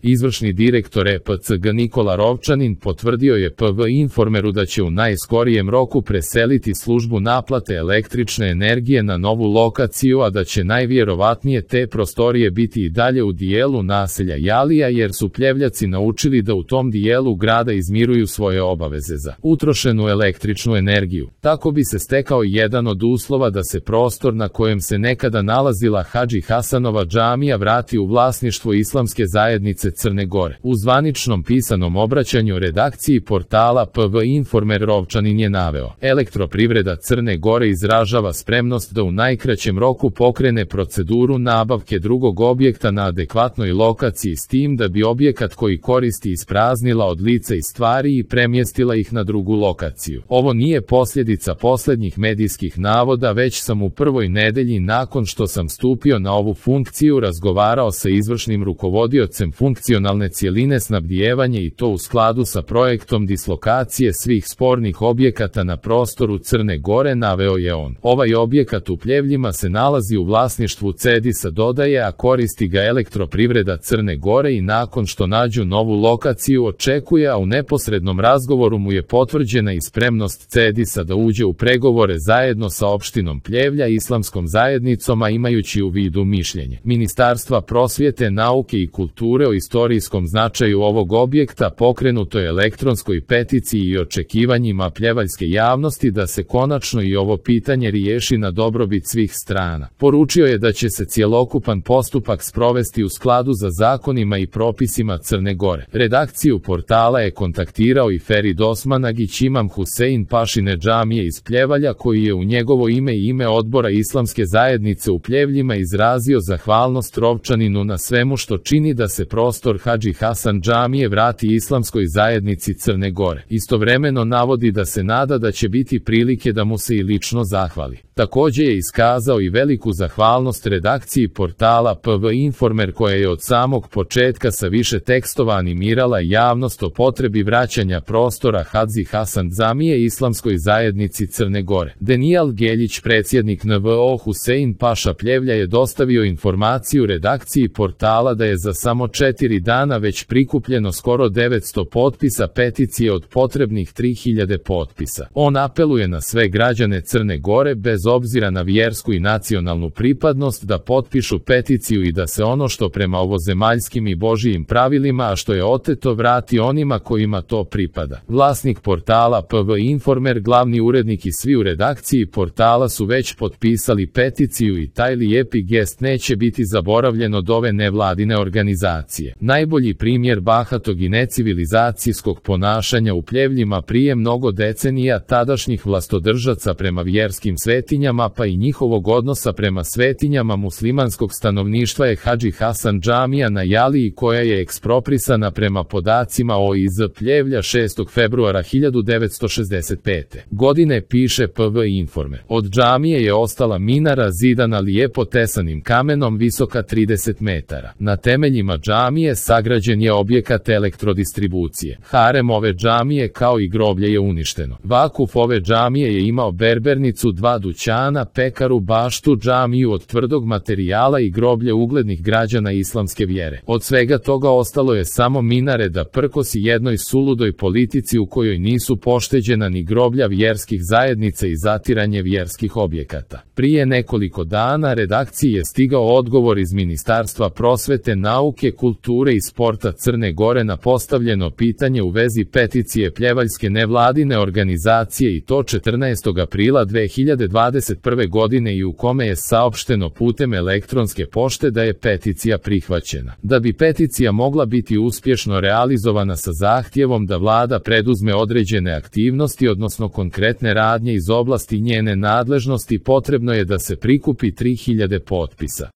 Izvršni direktor EPCG Nikola Rovčanin potvrdio je PV Informeru da će u najskorijem roku preseliti službu naplate električne energije na novu lokaciju, a da će najvjerovatnije te prostorije biti i dalje u dijelu naselja Jalija, jer su Pljevljaci naučili da u tom dijelu grada izmiruju svoje obaveze za utrošenu električnu energiju. Tako bi se stekao jedan od uslova da se prostor na kojem se nekada nalazila Hadži Hasanova džamija vrati u vlasništvo Islamske zajednice Crne Gore. U zvaničnom pisanom obraćanju redakciji portala PV Informer Rovčanin je naveo: Elektroprivreda Crne Gore izražava spremnost da u najkraćem roku pokrene proceduru nabavke drugog objekta na adekvatnoj lokaciji, s tim da bi objekat koji koristi ispraznila od lica i stvari i premjestila ih na drugu lokaciju. Ovo nije posljedica posljednjih medijskih navoda, već sam u prvoj nedelji nakon što sam stupio na ovu funkciju razgovarao sa izvršnim rukovodiocem funkcionalne cjeline snabdijevanje, i to u skladu sa projektom dislokacije svih spornih objekata na prostoru Crne Gore, naveo je on. Ovaj objekat u Pljevljima se nalazi u vlasništvu CEDIS-a, dodaje, a koristi ga Elektroprivreda Crne Gore, i nakon što nađu novu lokaciju očekuje, a u neposrednom razgovoru mu je potvrđena i spremnost CEDIS-a da uđe u pregovore zajedno sa opštinom Pljevlja i Islamskom zajednicom, a imajući u vidu mišljenje Ministarstva prosvjete, nauke i kulture o istorijskom značaju ovog objekta, pokrenutoj elektronskoj peticiji i očekivanjima pljevaljske javnosti da se konačno i ovo pitanje riješi na dobrobit svih strana. Poručio je da će se cjelokupan postupak sprovesti u skladu za zakonima i propisima Crne Gore. Redakciju portala je kontaktirao i Ferid Osmanagić, imam Husein Pašine džamije iz Pljevalja, koji je u njegovo ime i ime odbora Islamske zajednice u Pljevljima izrazio zahvalnost Rovčaninu na svemu što čini da se prostor Hadži Hasan džamije vrati Islamskoj zajednici Crne Gore. Istovremeno navodi da se nada da će biti prilike da mu se i lično zahvali. Također je iskazao i veliku zahvalnost redakciji portala PV Informer, koja je od samog početka sa više tekstova animirala javnost o potrebi vraćanja prostora Hadži Hasan džamije Islamskoj zajednici Crne Gore. Denijal Geljić, predsjednik NVO Husein Paša Pljevlja, je dostavio informaciju redakciji portala da je za samo 4 dana već prikupljeno skoro 900 potpisa peticije od potrebnih 3000 potpisa. On apeluje na sve građane Crne Gore, bez obzira na vjersku i nacionalnu pripadnost, da potpišu peticiju i da se ono što prema ovozemaljskim i božijim pravilima, a što je oteto, vrati onima kojima to pripada. Vlasnik portala PV Informer, glavni urednik i svi u redakciji portala su već potpisali peticiju i taj lijepi gest neće biti zaboravljen od ove nevladine organizacije. Najbolji primjer bahatog i necivilizacijskog ponašanja u Pljevljima prije mnogo decenija tadašnjih vlastodržaca prema vjerskim svetinjama, pa i njihovog odnosa prema svetinjama muslimanskog stanovništva je Hadži Hasan džamija na Jaliji, koja je eksproprisana prema podacima OIZ Pljevlja 6. februara 1965. godine, piše PV Informer. Od džamije je ostala minara zidana lijepo tesanim kamenom, visoka 30 metara. Na temeljima džamije sagrađen je objekat elektrodistribucije. Harem ove džamije kao i groblje je uništeno. Vakuf ove džamije je imao berbernicu, 2 dućana, pekaru, baštu, džamiju od tvrdog materijala i groblje uglednih građana islamske vjere. Od svega toga ostalo je samo minare da prkosi jednoj suludoj politici u kojoj nisu pošteđena ni groblja vjerskih zajednica i zatiranje vjerskih objekata. Prije nekoliko dana redakciji je stigao odgovor iz Ministarstva prosvete, nauke, kulture i sporta Crne Gore na postavljeno pitanje u vezi peticije pljevaljske nevladine organizacije, i to 14. aprila 2021. godine, i u kome je saopšteno putem elektronske pošte da je peticija prihvaćena. Da bi peticija mogla biti uspješno realizovana sa zahtjevom da vlada preduzme određene aktivnosti, odnosno konkretne radnje iz oblasti njene nadležnosti, potrebno je da se prikupi 3000 potpisa.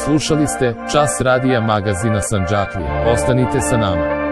Slušali ste Čas radija magazina Sandžaklija. Ostanite sa nama.